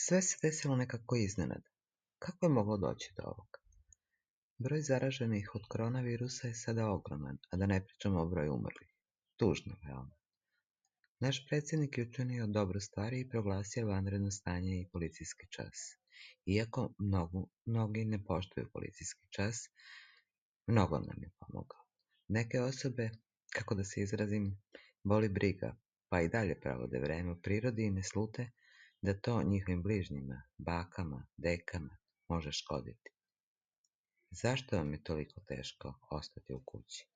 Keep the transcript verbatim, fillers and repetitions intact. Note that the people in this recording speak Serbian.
Sve se desilo nekako iznenada. Kako je moglo doći do ovoga? Broj zaraženih od koronavirusa je sada ogroman, a da ne pričamo o broju umrlih. Tužno, veoma. Naš predsjednik je učinio dobru stvar i proglasio vanredno stanje i policijski čas. Iako mnogo, mnogi ne poštuju policijski čas, mnogo nam je pomogao. Neke osobe, kako da se izrazim, boli briga, pa i dalje provode vreme u prirodi i ne slute da to njihovim bližnjima, bakama, dekama može škoditi. Zašto vam je toliko teško ostati u kući?